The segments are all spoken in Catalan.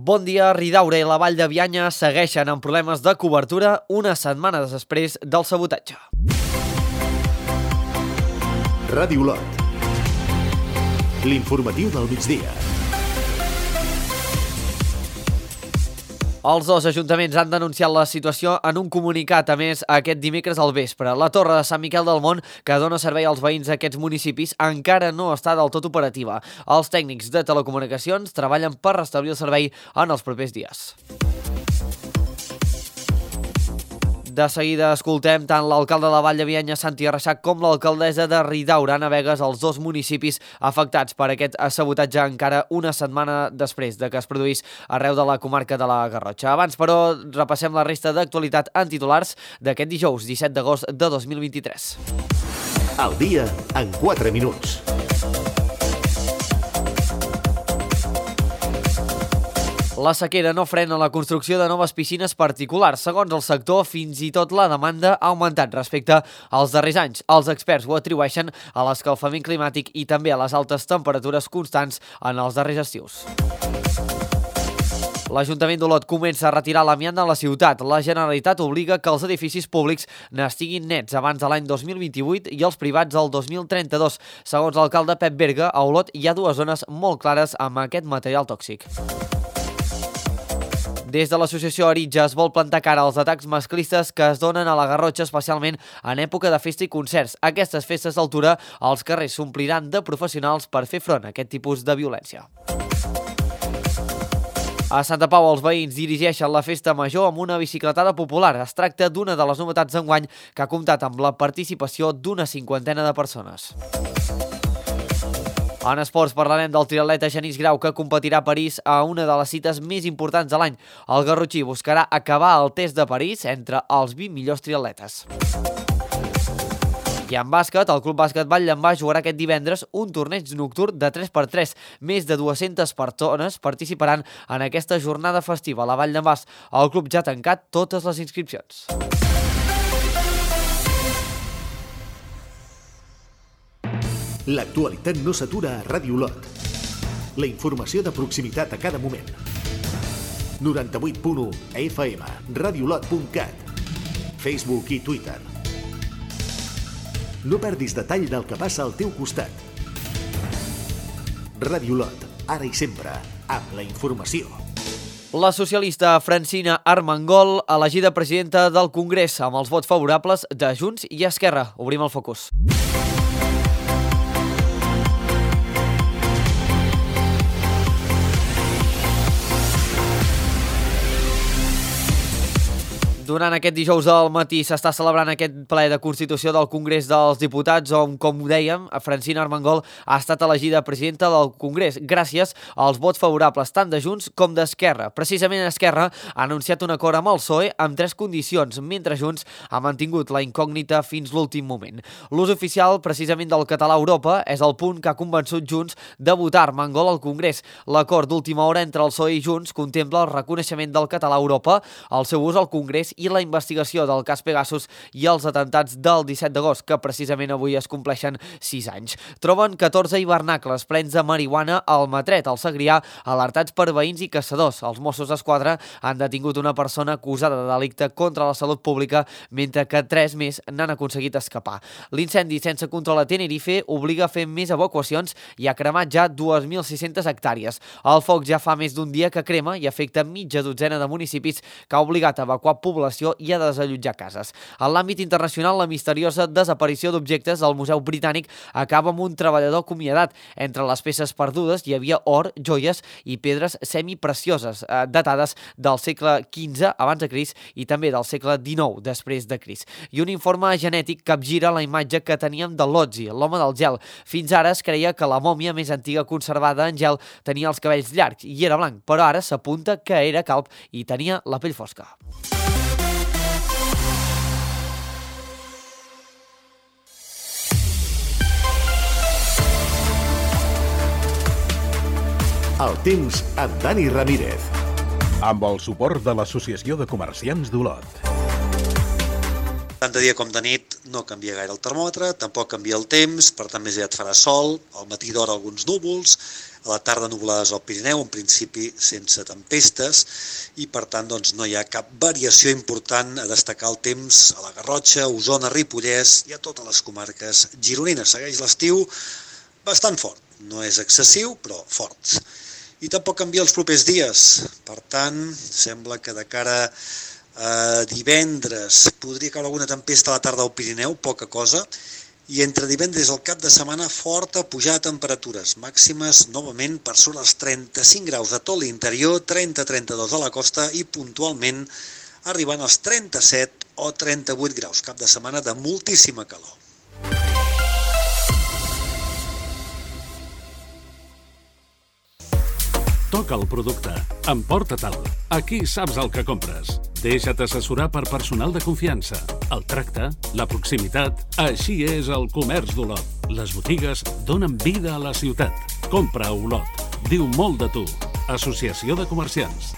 Bon dia, Ridaura i la Vall de Bianya segueixen amb problemes de cobertura una setmana després del sabotatge. Ràdio Olot. L'informatiu del migdia. Els dos ajuntaments han denunciat la situació en un comunicat, a més, aquest dimecres al vespre. La torre de Sant Miquel del Mont, que dona servei als veïns d'aquests municipis, encara no està del tot operativa. Els tècnics de telecomunicacions treballen per restablir el servei en els propers dies. De seguida escoltem tant l'alcalde de la Vall de Bianya, Santi Arreixac, com l'alcaldessa de Ridaura, Anna Begues, els dos municipis afectats per aquest sabotatge encara una setmana després de que es produís arreu de la comarca de la Garrotxa. Abans, però, repassem la resta d'actualitat en titulars d'aquest dijous, 17 d'agost de 2023. Al dia en 4 minuts. La sequera no frena la construcció de noves piscines particulars. Segons el sector, fins i tot la demanda ha augmentat respecte als darrers anys. Els experts ho atribueixen a l'escalfament climàtic i també a les altes temperatures constants en els darrers estius. L'Ajuntament d'Olot comença a retirar l'amiant de la ciutat. La Generalitat obliga que els edificis públics n'estiguin nets abans de l'any 2028 i els privats el 2032. Segons l'alcalde Pep Berga, a Olot hi ha dues zones molt clares amb aquest material tòxic. Des de l'associació Aritja es vol plantar cara als atacs masclistes que es donen a la Garrotxa, especialment en època de festa i concerts. Aquestes festes d'altura, els carrers s'ompliran de professionals per fer front a aquest tipus de violència. A Santa Pau, els veïns dirigeixen la festa major amb una bicicletada popular. Es tracta d'una de les novetats d'enguany que ha comptat amb la participació d'una 50 de persones. En esports parlarem del triatleta Genís Grau, que competirà a París a una de les cites més importants de l'any. El garrotxí buscarà acabar el test de París entre els 20 millors triatletes. I en bàsquet, el Club Bàsquet Vall-Llambar jugarà aquest divendres un torneig nocturn de 3x3. Més de 200 persones participaran en aquesta jornada festiva a la Vall-Llambar. El club ja ha tancat totes les inscripcions. L'actualitat no s'atura a Ràdio Olot. La informació de proximitat a cada moment. 98.1 FM, radioolot.cat, Facebook i Twitter. No perdis detall del que passa al teu costat. Ràdio Olot, ara i sempre, amb la informació. La socialista Francina Armengol, elegida presidenta del Congrés amb els vots favorables de Junts i Esquerra. Obrim el focus. Durant aquest dijous al matí s'està celebrant aquest ple de Constitució del Congrés dels Diputats on, com dèiem, Francina Armengol ha estat elegida presidenta del Congrés gràcies als vots favorables tant de Junts com d'Esquerra. Precisament Esquerra ha anunciat un acord amb el PSOE amb 3 condicions, mentre Junts ha mantingut la incògnita fins l'últim moment. L'ús oficial, precisament del català a Europa, és el punt que ha convençut Junts de votar Armengol al Congrés. L'acord d'última hora entre el PSOE i Junts contempla el reconeixement del català a Europa, el seu ús al Congrés i la investigació del cas Pegasus i els atentats del 17 d'agost, que precisament avui es compleixen 6 anys. Troben 14 hivernacles plens de marihuana al Matret, al Segrià, alertats per veïns i caçadors. Els Mossos d'Esquadra han detingut una persona acusada de delicte contra la salut pública, mentre que 3 més n'han aconseguit escapar. L'incendi sense control a Tenerife obliga a fer més evacuacions i ha cremat ja 2.600 hectàrees. El foc ja fa més d'un dia que crema i afecta mitja dotzena de municipis, que ha obligat a evacuar població i a desallotjar cases. En l'àmbit internacional, la misteriosa desaparició d'objectes del Museu Britànic acaba amb un treballador acomiadat. Entre les peces perdudes hi havia or, joies i pedres semiprecioses, datades del segle XV abans de Crist i també del segle XIX després de Crist. I un informe genètic capgira la imatge que teníem de Lotzi, l'home del gel. Fins ara es creia que la mòmia més antiga conservada en gel tenia els cabells llargs i era blanc, però ara s'apunta que era calb i tenia la pell fosca. El temps amb Dani Ramírez. Amb el suport de l'Associació de Comerciants d'Olot. Tant de dia com de nit no canvia gaire el termòmetre, tampoc canvia el temps, per tant més aviat farà sol, al matí d'hora alguns núvols, a la tarda nuvolades al Pirineu, en principi sense tempestes, i per tant doncs, no hi ha cap variació important a destacar el temps a la Garrotxa, Osona, Ripollès i a totes les comarques gironines. Segueix l'estiu bastant fort, no és excessiu però fort. I tampoc canvia els propers dies, per tant sembla que de cara a divendres podria caure alguna tempesta a la tarda al Pirineu, poca cosa, i entre divendres i el cap de setmana forta pujada de temperatures màximes novament per sobre els 35 graus de tot l'interior, 30-32 a la costa i puntualment arribant als 37 o 38 graus, cap de setmana de moltíssima calor. Toca el producte, emporta-te'l, aquí saps el que compres. Deixa't assessorar per personal de confiança. El tracte, la proximitat, així és el comerç d'Olot. Les botigues donen vida a la ciutat. Compra a Olot. Diu molt de tu. Associació de Comerciants.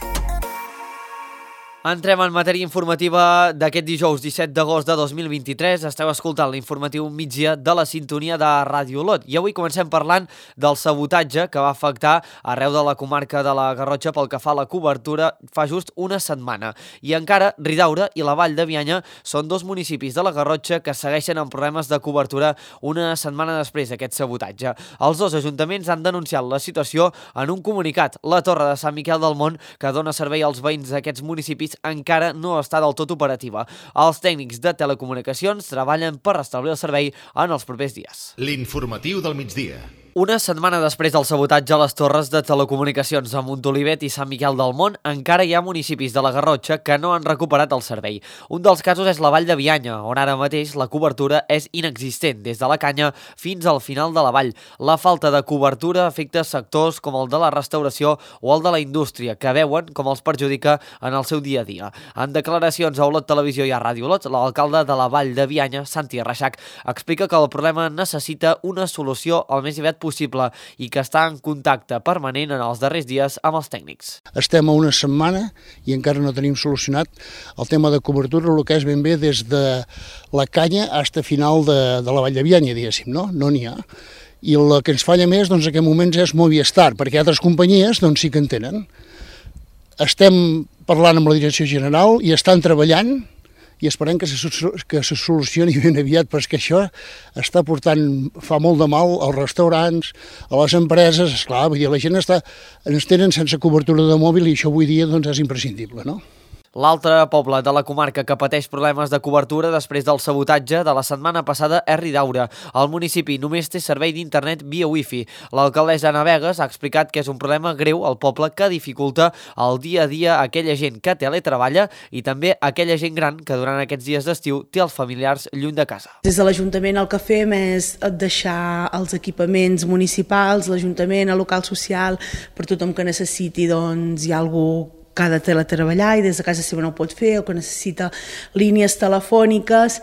Entrem en matèria informativa d'aquest dijous 17 d'agost de 2023. Esteu escoltant l'informatiu migdia de la sintonia de Ràdio Olot. I avui comencem parlant del sabotatge que va afectar arreu de la comarca de la Garrotxa pel que fa a la cobertura fa just una setmana. I encara Ridaura i la Vall de Bianya són dos municipis de la Garrotxa que segueixen amb problemes de cobertura una setmana després d'aquest sabotatge. Els dos ajuntaments han denunciat la situació en un comunicat. La Torre de Sant Miquel del Mont, que dona servei als veïns d'aquests municipis, encara no està del tot operativa. Els tècnics de telecomunicacions treballen per restablir el servei en els propers dies. L'informatiu del migdia. Una setmana després del sabotatge a les torres de telecomunicacions a Montolivet i Sant Miquel del Mont, encara hi ha municipis de la Garrotxa que no han recuperat el servei. Un dels casos és la Vall de Bianya, on ara mateix la cobertura és inexistent, des de la Canya fins al final de la vall. La falta de cobertura afecta sectors com el de la restauració o el de la indústria, que veuen com els perjudica en el seu dia a dia. En declaracions a Olot Televisió i a Ràdio Olot, l'alcalde de la Vall de Bianya, Santi Reixac, explica que el problema necessita una solució al més aviat possible i que està en contacte permanent en els darrers dies amb els tècnics. Estem a una setmana i encara no tenim solucionat el tema de cobertura, el que és ben bé des de la Canya fins a final de la Vall de Bianya, diguéssim, no? No n'hi ha. I el que ens falla més, doncs, en aquests moments és Movistar, perquè altres companyies, doncs, sí que en tenen. Estem parlant amb la direcció general i estan treballant i esperem que se solucioni ben aviat, perquè això està portant, fa molt de mal als restaurants, a les empreses, esclar, vull dir, la gent ens tenen sense cobertura de mòbil i això avui dia doncs, és imprescindible, no? L'altre poble de la comarca que pateix problemes de cobertura després del sabotatge de la setmana passada és Ridaura. El municipi només té servei d'internet via wifi. L'alcaldessa Ana Vegas ha explicat que és un problema greu al poble que dificulta el dia a dia a aquella gent que teletreballa i també a aquella gent gran que durant aquests dies d'estiu té els familiars lluny de casa. Des de l'Ajuntament el que fem és deixar els equipaments municipals, l'Ajuntament, el local social, per tothom que necessiti, doncs hi ha algú que ha de teletreballar i des de casa seva no ho pot fer o que necessita línies telefòniques,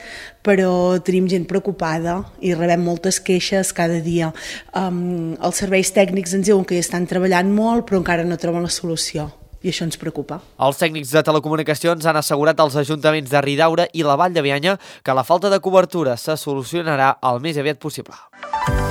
però tenim gent preocupada i rebem moltes queixes cada dia. Els serveis tècnics ens diuen que hi estan treballant molt però encara no troben la solució. I això ens preocupa. Els tècnics de telecomunicacions han assegurat als ajuntaments de Ridaura i la Vall de Bianya que la falta de cobertura se solucionarà el més aviat possible.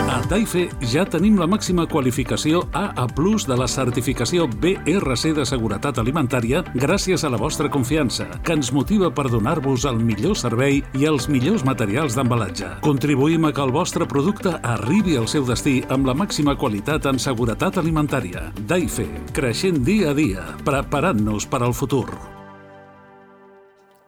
A Taife ja tenim la màxima qualificació AA+ de la certificació BRC de seguretat alimentària gràcies a la vostra confiança, que ens motiva per donar-vos el millor servei i els millors materials d'embalatge. Contribuïm a que el vostre producte arribi al seu destí amb la màxima qualitat en seguretat alimentària. Taife, creixent dia a dia, preparant-nos per al futur.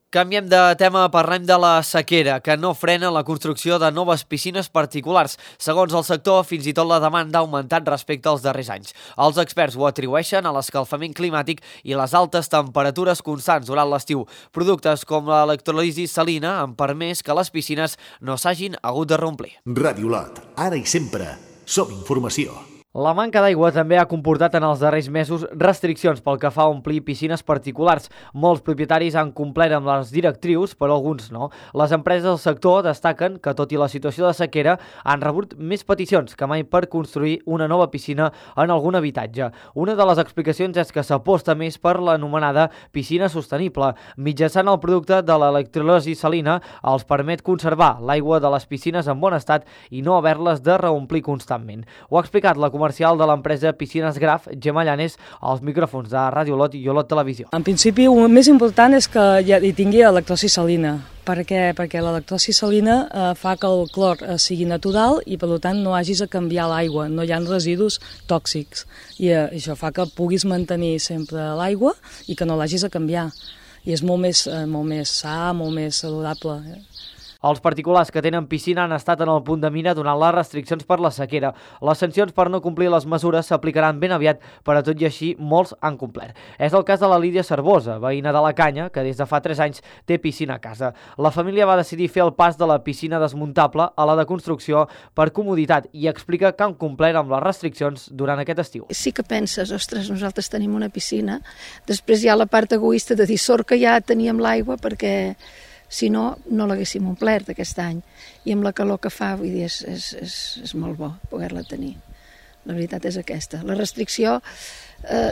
Canviem de tema, parlem de la sequera, que no frena la construcció de noves piscines particulars. Segons el sector, fins i tot la demanda ha augmentat respecte als darrers anys. Els experts ho atribueixen a l'escalfament climàtic i les altes temperatures constants durant l'estiu. Productes com l'electròlisi salina han permès que les piscines no s'hagin hagut de reomplir. Ràdio Olot, ara i sempre, som informació. La manca d'aigua també ha comportat en els darrers mesos restriccions pel que fa a omplir piscines particulars. Molts propietaris han complert amb les directrius, però alguns no. Les empreses del sector destaquen que, tot i la situació de sequera, han rebut més peticions que mai per construir una nova piscina en algun habitatge. Una de les explicacions és que s'aposta més per l'anomenada piscina sostenible. Mitjançant el producte de l'electròlisi salina els permet conservar l'aigua de les piscines en bon estat i no haver-les de reomplir constantment. Ho ha explicat la comercial de l'empresa Piscines Graf, Gemma Llanes, als micròfons de Ràdio Olot i Olot Televisió. En principi, el més important és que hi tingui electròlisi salina. Per què? Perquè l'electròlisi salina fa que el clor sigui natural i, per tant, no hagis de canviar l'aigua, no hi ha residus tòxics. I això fa que puguis mantenir sempre l'aigua i que no l'hagis de canviar. I és molt més sa, molt més saludable. Els particulars que tenen piscina han estat en el punt de mira donant les restriccions per la sequera. Les sancions per no complir les mesures s'aplicaran ben aviat, però tot i així molts han complert. És el cas de la Lídia Cervosa, veïna de la Canya, que des de fa 3 anys té piscina a casa. La família va decidir fer el pas de la piscina desmuntable a la de construcció per comoditat i explica que han complert amb les restriccions durant aquest estiu. Sí que penses, ostres, nosaltres tenim una piscina, després hi ha la part egoista de dir sort que ja teníem l'aigua perquè si no, no l'haguéssim omplert aquest any. I amb la calor que fa, vull dir, és molt bo poder-la tenir. La veritat és aquesta. La restricció,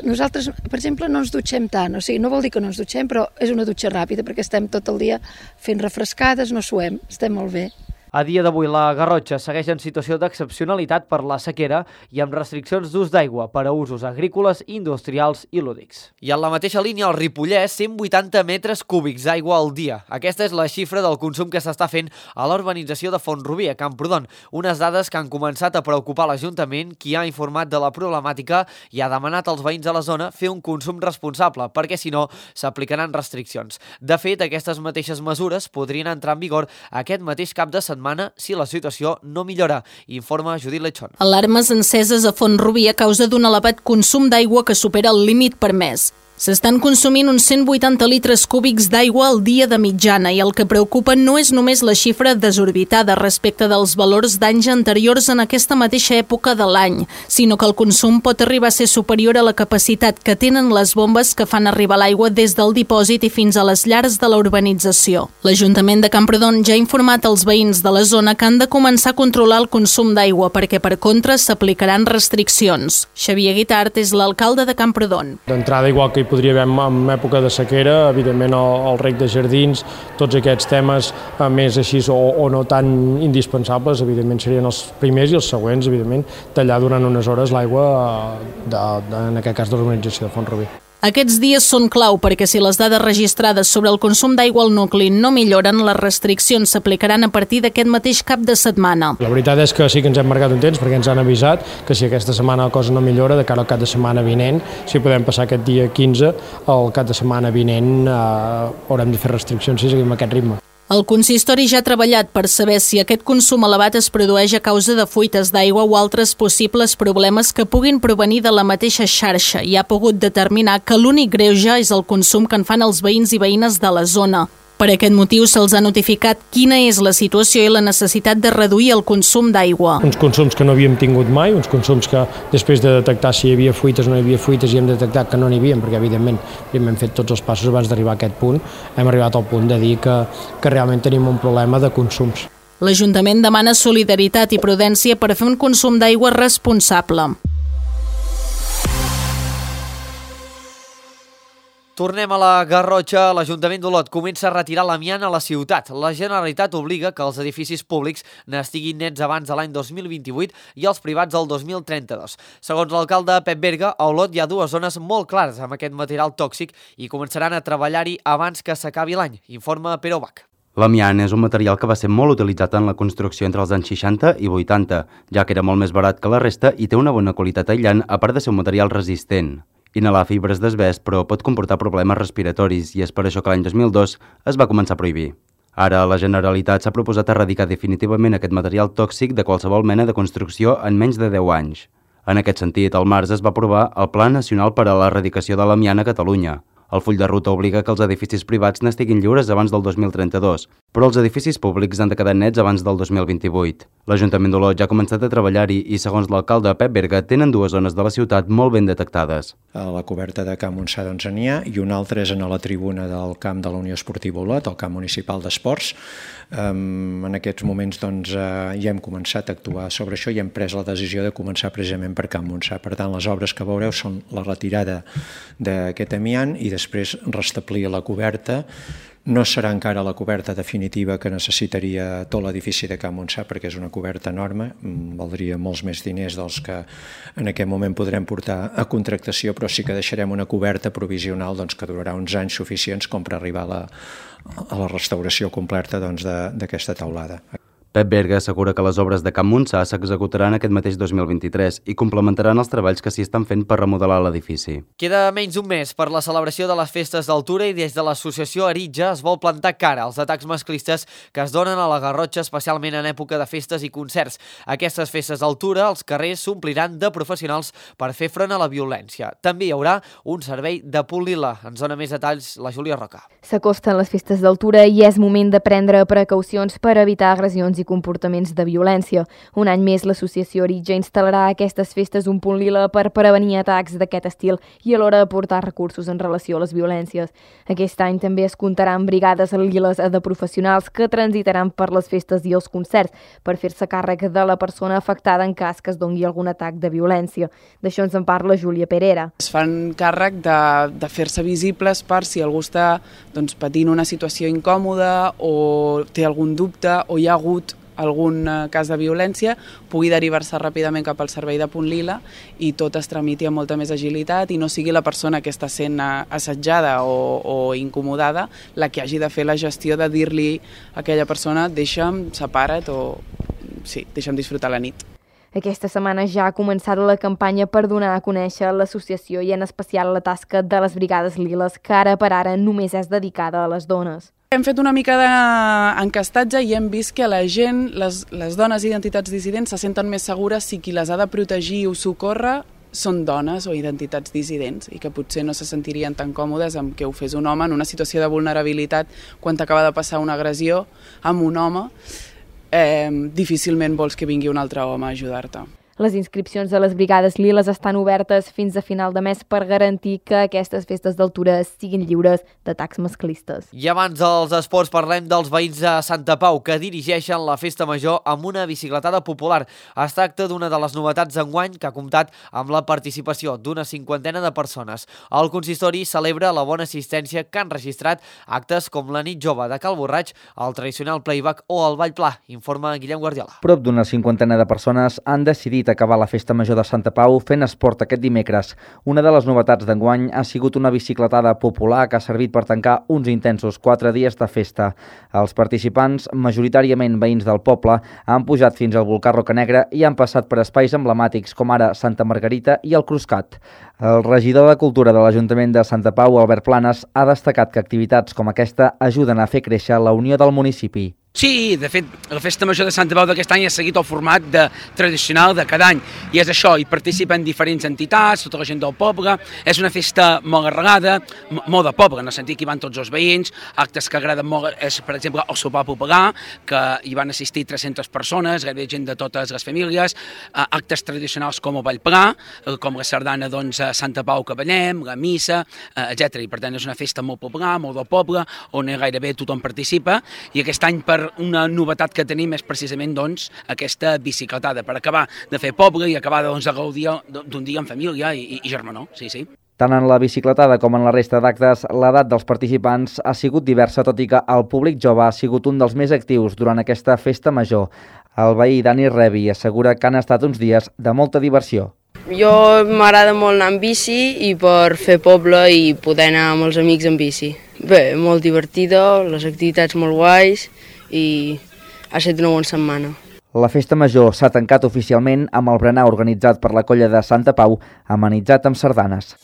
nosaltres, per exemple, no ens dutxem tant. O sigui, no vol dir que no ens dutxem, però és una dutxa ràpida perquè estem tot el dia fent refrescades, no suem, estem molt bé. A dia d'avui, la Garrotxa segueix en situació d'excepcionalitat per la sequera i amb restriccions d'ús d'aigua per a usos agrícoles, industrials i lúdics. I en la mateixa línia, al Ripollès, 180 metres cúbics d'aigua al dia. Aquesta és la xifra del consum que s'està fent a la urbanització de Font-rubí, a Camprodon. Unes dades que han començat a preocupar l'Ajuntament, qui ha informat de la problemàtica i ha demanat als veïns de la zona fer un consum responsable, perquè si no, s'aplicaran restriccions. De fet, aquestes mateixes mesures podrien entrar en vigor aquest mateix cap de setmana si la situació no millora, informa Judit Lechón. Alarmes enceses a Font-rubí a causa d'un elevat consum d'aigua que supera el límit permès. S'estan consumint uns 180 litres cúbics d'aigua al dia de mitjana i el que preocupa no és només la xifra desorbitada respecte dels valors d'anys anteriors en aquesta mateixa època de l'any, sinó que el consum pot arribar a ser superior a la capacitat que tenen les bombes que fan arribar l'aigua des del dipòsit i fins a les llars de la urbanització. L'Ajuntament de Camprodon ja ha informat als veïns de la zona que han de començar a controlar el consum d'aigua perquè, per contra, s'aplicaran restriccions. Xavier Guitart és l'alcalde de Camprodon. D'entrada, igual que hi podria haver en època de sequera, evidentment el reg de jardins, tots aquests temes més així o no tan indispensables, evidentment serien els primers i els següents, evidentment, tallar durant unes hores l'aigua, en aquest cas de l'urbanització de Font-rubí. Aquests dies són clau perquè si les dades registrades sobre el consum d'aigua al nucli no milloren, les restriccions s'aplicaran a partir d'aquest mateix cap de setmana. La veritat és que sí que ens hem marcat un temps perquè ens han avisat que si aquesta setmana la cosa no millora, de cara al cap de setmana vinent, si podem passar aquest dia 15, el cap de setmana vinent haurem de fer restriccions si seguim aquest ritme. El consistori ja ha treballat per saber si aquest consum elevat es produeix a causa de fuites d'aigua o altres possibles problemes que puguin provenir de la mateixa xarxa i ha pogut determinar que l'únic greuge és el consum que en fan els veïns i veïnes de la zona. Per aquest motiu se'ls ha notificat quina és la situació i la necessitat de reduir el consum d'aigua. Uns consums que no havíem tingut mai, uns consums que després de detectar si hi havia fuites o no hi havia fuites i hem detectat que no n'hi havia, perquè evidentment hem fet tots els passos abans d'arribar a aquest punt, hem arribat al punt de dir que realment tenim un problema de consums. L'Ajuntament demana solidaritat i prudència per fer un consum d'aigua responsable. Tornem a la Garrotxa. L'Ajuntament d'Olot comença a retirar l'amiant a la ciutat. La Generalitat obliga que els edificis públics n'estiguin nets abans de l'any 2028 i els privats el 2032. Segons l'alcalde Pep Berga, a Olot hi ha dues zones molt clares amb aquest material tòxic i començaran a treballar-hi abans que s'acabi l'any, informa Pere Bach. L'amiant és un material que va ser molt utilitzat en la construcció entre els anys 60 i 80, ja que era molt més barat que la resta i té una bona qualitat aïllant, a part de ser un material resistent. Inhalar fibres d'asbest, però pot comportar problemes respiratoris i és per això que l'any 2002 es va començar a prohibir. Ara, la Generalitat s'ha proposat erradicar definitivament aquest material tòxic de qualsevol mena de construcció en menys de 10 anys. En aquest sentit, al març es va aprovar el Pla Nacional per a l'Erradicació de l'Amiant a Catalunya. El full de ruta obliga que els edificis privats n'estiguin lliures abans del 2032, però els edificis públics han de quedar nets abans del 2028. L'Ajuntament d'Olot ja ha començat a treballar-hi i, segons l'alcalde Pep Berga, tenen 2 zones de la ciutat molt ben detectades. A la coberta de Camp Montsà n'hi ha, i una altra és a la tribuna del camp de la Unió Esportiva Olot, el camp municipal d'esports. En aquests moments ja hem començat a actuar sobre això i hem pres la decisió de començar precisament per Camp Montsà. Per tant, les obres que veureu són la retirada d'aquest amiant i després restablir la coberta. No serà encara la coberta definitiva que necessitaria tot l'edifici de Camp Montsà, perquè és una coberta enorme, valdria molts més diners dels que en aquest moment podrem portar a contractació, però sí que deixarem una coberta provisional que durarà uns anys suficients com per arribar a la restauració completa d'aquesta teulada. Pep Berga assegura que les obres de Camp Montsà s'executaran aquest mateix 2023 i complementaran els treballs que s'hi estan fent per remodelar l'edifici. Queda menys d'un mes per la celebració de les festes d'Altura i des de l'associació Aritja es vol plantar cara als atacs masclistes que es donen a la Garrotxa, especialment en època de festes i concerts. Aquestes festes d'Altura, els carrers s'ompliran de professionals per fer front a la violència. També hi haurà un servei de punt lila. Ens dona més detalls la Júlia Roca. S'acosten les festes d'Altura i és moment de prendre precaucions per evitar agressions i comportaments de violència. Un any més, l'associació Aritja instal·larà a aquestes festes un punt lila per prevenir atacs d'aquest estil i alhora aportar recursos en relació a les violències. Aquest any també es comptarà amb brigades liles de professionals que transitaran per les festes i els concerts per fer-se càrrec de la persona afectada en cas que es doni algun atac de violència. D'això ens en parla Júlia Perera. Es fan càrrec de fer-se visibles per si algú està patint una situació incòmoda o té algun dubte o hi ha hagut algun cas de violència, pugui derivar-se ràpidament cap al servei de punt lila i tot es tramiti amb molta més agilitat i no sigui la persona que està sent assetjada o incomodada la que hagi de fer la gestió de dir-li a aquella persona deixa'm, separa't o sí, deixa'm disfrutar la nit. Aquesta setmana ja ha començat la campanya per donar a conèixer l'associació i en especial la tasca de les brigades liles, que ara per ara només és dedicada a les dones. Hem fet una mica d'encastatge i hem vist que la gent, les dones i identitats dissidents se senten més segures si qui les ha de protegir o socórrer són dones o identitats dissidents i que potser no se sentirien tan còmodes amb que ho fes un home en una situació de vulnerabilitat quan t'acaba de passar una agressió amb un home. Difícilment vols que vingui un altre home a ajudar-te. Les inscripcions a les brigades liles estan obertes fins a final de mes per garantir que aquestes festes d'Altura siguin lliures d'atacs masclistes. I abans dels esports parlem dels veïns de Santa Pau que dirigeixen la festa major amb una bicicletada popular. Es tracta d'una de les novetats d'enguany que ha comptat amb la participació d'una 50 de persones. El consistori celebra la bona assistència que han registrat actes com la nit jove de Cal Borraig, el tradicional playback o el ball pla, informa Guillem Guardiola. Prop d'una 50 de persones han decidit acabar la festa major de Santa Pau fent esport aquest dimecres. Una de les novetats d'enguany ha sigut una bicicletada popular que ha servit per tancar uns intensos 4 dies de festa. Els participants, majoritàriament veïns del poble, han pujat fins al volcà Rocanegra i han passat per espais emblemàtics com ara Santa Margarita i el Cruscat. El regidor de Cultura de l'Ajuntament de Santa Pau, Albert Planes, ha destacat que activitats com aquesta ajuden a fer créixer la unió del municipi. Sí, de fet, la festa major de Santa Pau d'aquest any ha seguit el format tradicional de cada any, i és això, hi participen diferents entitats, tota la gent del poble, és una festa molt arrelada, molt de poble, en el sentit que hi van tots els veïns, actes que agraden molt, és, per exemple, el sopar popular, que hi van assistir 300 persones, gairebé gent de totes les famílies, actes tradicionals com el ball pla, com la sardana Santa Pau que ballem, la missa, etc. I per tant és una festa molt popular, molt del poble, on gairebé tothom participa, i aquest any per una novetat que tenim és precisament aquesta bicicletada, per acabar de fer poble i acabar de gaudir d'un dia en família i germanor, sí. Tant en la bicicletada com en la resta d'actes, l'edat dels participants ha sigut diversa, tot i que el públic jove ha sigut un dels més actius durant aquesta festa major. El veí Dani Revi assegura que han estat uns dies de molta diversió. Jo m'agrada molt anar amb bici i per fer poble i poder anar amb els amics en bici. Bé, molt divertida, les activitats molt guais i ha estat una bona setmana. La festa major s'ha tancat oficialment amb el berenar organitzat per la colla de Santa Pau, amenitzat amb sardanes.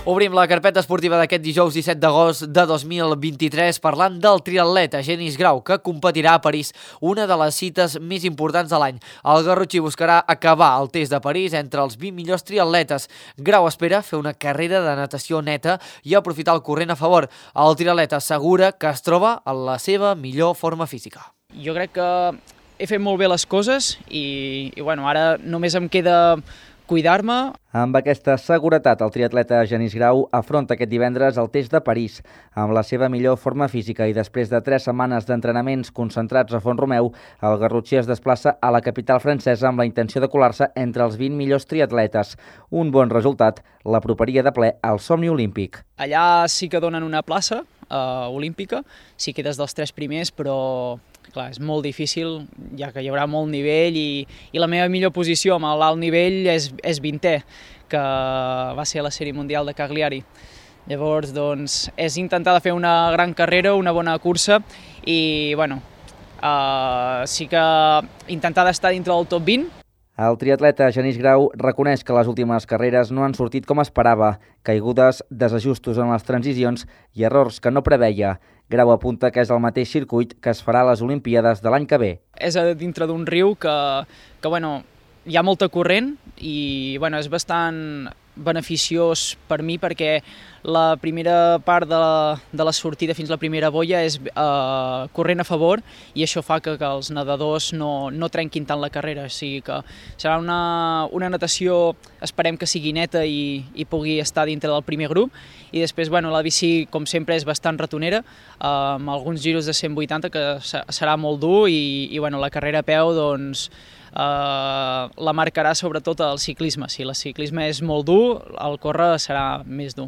Obrim la carpeta esportiva d'aquest dijous 17 d'agost de 2023 parlant del triatleta Genís Grau, que competirà a París, una de les cites més importants de l'any. El garrotxí buscarà acabar el test de París entre els 20 millors triatletes. Grau espera fer una carrera de natació neta i aprofitar el corrent a favor. El triatleta assegura que es troba en la seva millor forma física. Jo crec que he fet molt bé les coses i bueno, ara només em queda cuidar-me. Amb aquesta seguretat, el triatleta Genís Grau afronta aquest divendres el test de París amb la seva millor forma física i després de 3 setmanes d'entrenaments concentrats a Font-romeu, el garrotxí es desplaça a la capital francesa amb la intenció de colar-se entre els 20 millors triatletes. Un bon resultat l'aproparia de ple al somni olímpic. Allà sí que donen una plaça olímpica, si quedes dels 3 primers, però clar, és molt difícil, ja que hi haurà molt nivell i la meva millor posició amb l'alt nivell és 20è, que va ser la sèrie mundial de Cagliari. Llavors, doncs, és intentar de fer una gran carrera, una bona cursa i, bueno, sí que intentar d'estar dintre del top 20. El triatleta Genís Grau reconeix que les últimes carreres no han sortit com esperava, caigudes, desajustos en les transicions i errors que no preveia. Grau apunta que és el mateix circuit que es farà a les Olimpíades de l'any que ve. És a dintre d'un riu que bueno, hi ha molta corrent i bueno, és bastant beneficiós per mi perquè la primera part de la sortida fins a la primera boia és corrent a favor i això fa que els nedadors no trenquin tant la carrera, o sigui que serà una natació, esperem que sigui neta i pugui estar dintre del primer grup i després bueno, la bici com sempre és bastant ratonera amb alguns giros de 180 que serà molt dur i bueno, la carrera a peu doncs la marcarà sobretot el ciclisme. Si el ciclisme és molt dur, el córrer serà més dur.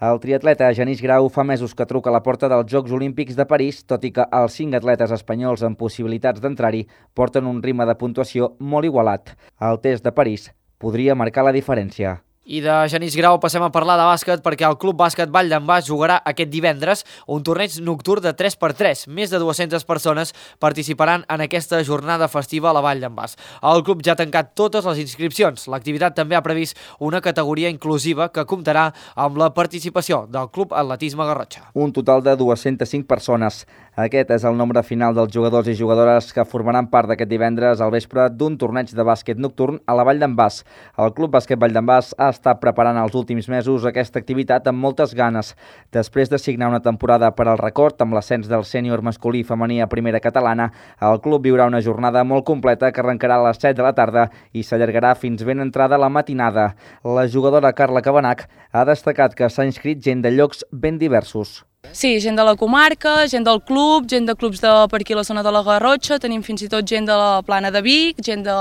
El triatleta Genís Grau fa mesos que truca a la porta dels Jocs Olímpics de París, tot i que els 5 atletes espanyols amb possibilitats d'entrar-hi porten un ritme de puntuació molt igualat. El test de París podria marcar la diferència. I de Genís Grau passem a parlar de bàsquet perquè el Club Bàsquet Vall d'en Bas jugarà aquest divendres un torneig nocturn de 3x3. Més de 200 persones participaran en aquesta jornada festiva a la Vall d'en Bas. El club ja ha tancat totes les inscripcions. L'activitat també ha previst una categoria inclusiva que comptarà amb la participació del Club Atletisme Garrotxa. Un total de 205 persones. Aquest és el nombre final dels jugadors i jugadores que formaran part d'aquest divendres al vespre d'un torneig de bàsquet nocturn a la Vall d'en Bas. El Club Bàsquet Vall d'en Bas ha estat preparant els últims mesos aquesta activitat amb moltes ganes. Després de signar una temporada per al record amb l'ascens del sènior masculí i femení a primera catalana, el club viurà una jornada molt completa que arrencarà a les 7 de la tarda i s'allargarà fins ben entrada la matinada. La jugadora Carla Cabanac ha destacat que s'ha inscrit gent de llocs ben diversos. Sí, gent de la comarca, gent del club, gent de clubs per aquí a la zona de la Garrotxa, tenim fins i tot gent de la Plana de Vic, gent de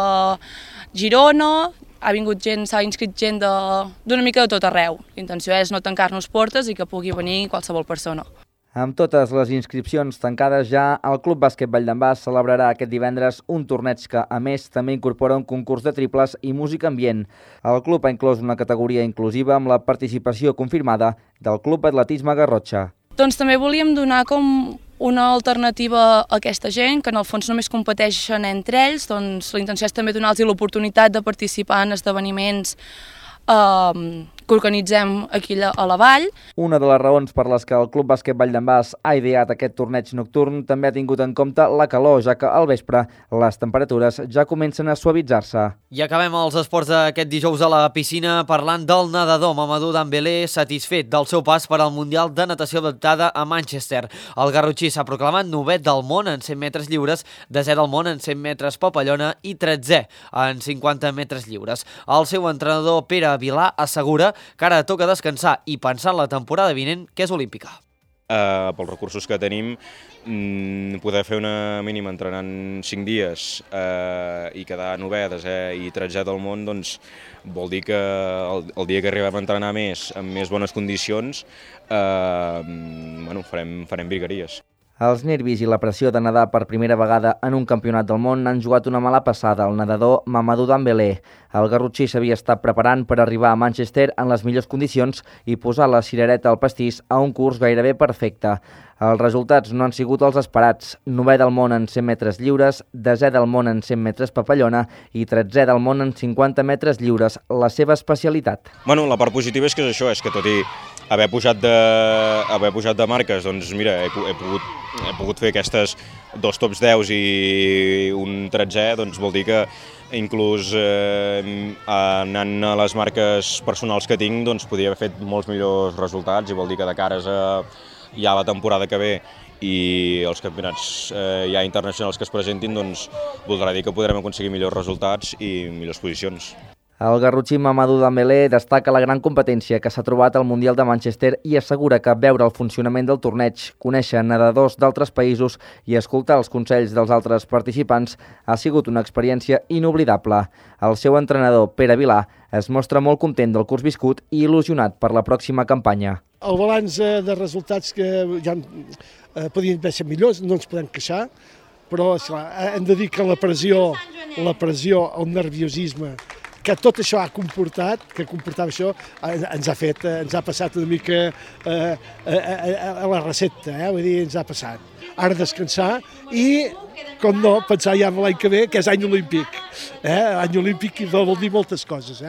Girona, s'ha inscrit gent d'una mica de tot arreu. L'intenció és no tancar-nos portes i que pugui venir qualsevol persona. Amb totes les inscripcions tancades ja, el Club Bàsquet Vall d'en Bas celebrarà aquest divendres un torneig que, a més, també incorpora un concurs de triples i música ambient. El club ha inclòs una categoria inclusiva amb la participació confirmada del Club Atletisme Garrotxa. Doncs també volíem donar com una alternativa a aquesta gent, que en el fons només competeixen entre ells, doncs la intenció és també donar-los l'oportunitat de participar en esdeveniments que organitzem aquí a la vall. Una de les raons per les que el Club Bàsquet Vall d'en Bas ha ideat aquest torneig nocturn també ha tingut en compte la calor, ja que al vespre les temperatures ja comencen a suavitzar-se. I acabem els esports d'aquest dijous a la piscina parlant del nedador Mamadou Dembélé, satisfet del seu pas per al Mundial de Natació Adaptada a Manchester. El garrotxí s'ha proclamat 9è del món en 100 metres lliures, 10è del món en 100 metres papallona i 13è en 50 metres lliures. El seu entrenador Pere Vilà assegura que ara toca descansar i pensar en la temporada vinent, que és olímpica. Pels recursos que tenim, poder fer una mínima entrenant 5 dies i quedar 9è, 10è i 13è del món, doncs vol dir que el dia que arribem a entrenar més, amb més bones condicions, farem virgueries. Els nervis i la pressió de nedar per primera vegada en un campionat del món han jugat una mala passada al nedador Mamadou Dembélé. El garrotxí s'havia estat preparant per arribar a Manchester en les millors condicions i posar la cirereta al pastís a un curs gairebé perfecte. Els resultats no han sigut els esperats. 9è del món en 100 metres lliures, 10è del món en 100 metres papallona i 13è del món en 50 metres lliures, la seva especialitat. Bueno, la part positiva és que és això, és que tot i haver pujat de marques, doncs mira, he pogut fer aquestes 2 tops 10 i un 13è, doncs vol dir que inclús anant a les marques personals que tinc, doncs podria haver fet molts millors resultats i vol dir que de cares a ja la temporada que ve i els campionats ja internacionals que es presentin, doncs voldrà dir que podrem aconseguir millors resultats i millors posicions. El garrotxí Mamadou Dembélé destaca la gran competència que s'ha trobat al Mundial de Manchester i assegura que veure el funcionament del torneig, conèixer nedadors d'altres països i escoltar els consells dels altres participants ha sigut una experiència inoblidable. El seu entrenador, Pere Vilà, es mostra molt content del curs viscut i il·lusionat per la pròxima campanya. El balanç de resultats que ja podien haver estat millors, no ens podem queixar, però esclar, hem de dir que la pressió, el nerviosisme, que tot això ha comportat, que comportava això, ens ha passat una mica a la recepta, vull dir, ens ha passat. Ara descansar i, com no, pensar ja en l'any que ve, que és any olímpic. Any olímpic vol dir moltes coses.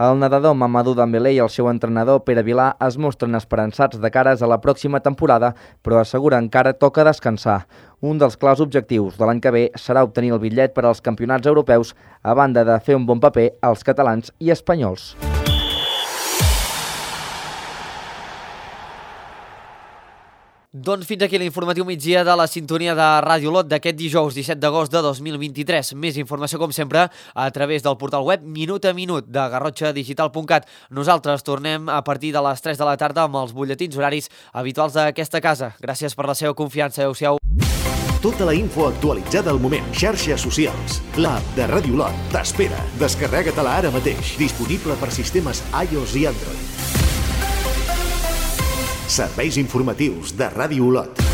El nedador Mamadou Dembélé i el seu entrenador Pere Vilà es mostren esperançats de cares a la pròxima temporada, però asseguren que encara toca descansar. Un dels claus objectius de l'any que ve serà obtenir el bitllet per als campionats europeus, a banda de fer un bon paper als catalans i espanyols. Doncs fins aquí l'informatiu migdia de la sintonia de Ràdio Lot d'aquest dijous 17 d'agost de 2023. Més informació, com sempre, a través del portal web Minut a Minut de garrotxadigital.cat. Nosaltres tornem a partir de les 3 de la tarda amb els butlletins horaris habituals d'aquesta casa. Gràcies per la seva confiança. Adéu-siau. Tota la info actualitzada al moment. Xarxes socials. L'app de Ràdio Lot t'espera. Descarrega-te-la ara mateix. Disponible per sistemes iOS i Android. Serveis informatius de Ràdio Lot.